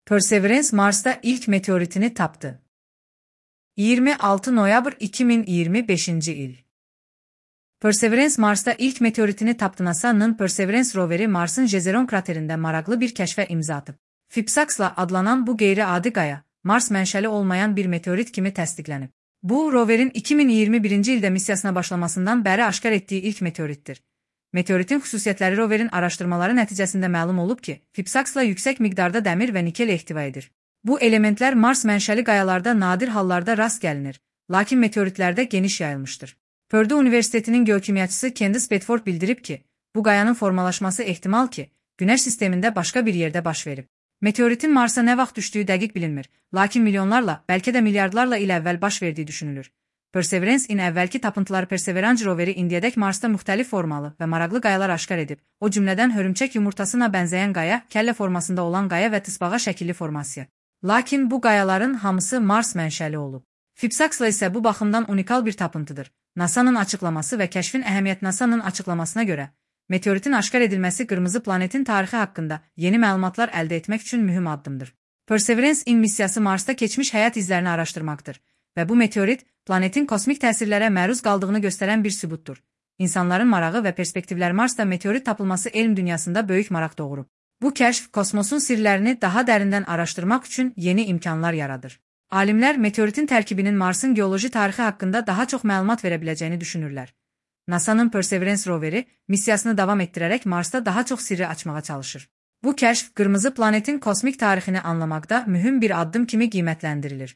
Perseverance Mars'ta ilk meteoritini taptı. 26 noyabr 2025 il. Perseverance Mars'ta ilk meteoritini taptı. NASA'nın Perseverance roveri Mars'ın Jezero kraterinde maraqlı bir kəşfə imza atıb. Fipsax'la adlanan bu qeyri-adi qaya, Mars mənşəli olmayan bir meteorit kimi təsdiqlənib. Bu, roverin 2021-ci ildə missiyasına başlamasından bəri aşkar etdiyi ilk meteorittir. Meteoritin xüsusiyyətləri roverin araşdırmaları nəticəsində məlum olub ki, Fipsax'la yüksək miqdarda dəmir və nikel ehtiva edir. Bu elementlər Mars mənşəli qayalarda nadir hallarda rast gəlinir, lakin meteoritlərdə geniş yayılmışdır. Purdue Universitetinin geokimyaçısı Candice Bedford bildirib ki, bu qayanın formalaşması ehtimal ki, Günəş sistemində başqa bir yerdə baş verib. Meteoritin Marsa nə vaxt düşdüyü dəqiq bilinmir, lakin milyonlarla, bəlkə də milyardlarla il əvvəl baş verdiyi düşünülür. Perseverance-in əvvəlki tapıntıları Perseverance roveri indiyədək Marsda müxtəlif formalı və maraqlı qayalar aşkar edib, o cümlədən hörümçək yumurtasına bənzəyən qaya, kəllə formasında olan qaya və tısbağa şəkilli formasiya. Lakin bu qayaların hamısı Mars mənşəli olub. Fipsax'la isə bu baxımdan unikal bir tapıntıdır. NASA'nın açıqlaması və kəşfin əhəmiyyəti. NASA'nın açıqlamasına görə, meteoritin aşkar edilməsi qırmızı planetin tarixi haqqında yeni məlumatlar əldə etmək üçün mühüm addımdır. Perseverance-in missiyası Marsda keçmiş həyat izlərini araşdırmaqdır və bu meteorit, planetin kosmik təsirlərə məruz qaldığını göstərən bir sübutdur. İnsanların marağı və perspektivlər. Marsda meteorit tapılması elm dünyasında böyük maraq doğurub. Bu kəşf, kosmosun sirlərini daha dərindən araşdırmaq üçün yeni imkanlar yaradır. Alimlər meteoritin tərkibinin Marsın geoloji tarixi haqqında daha çox məlumat verə biləcəyini düşünürlər. NASA'nın Perseverance roveri missiyasını davam etdirərək Marsda daha çox sirri açmağa çalışır. Bu kəşf, qırmızı planetin kosmik tarixini anlamaqda mühüm bir addım kimi qiymətləndirilir.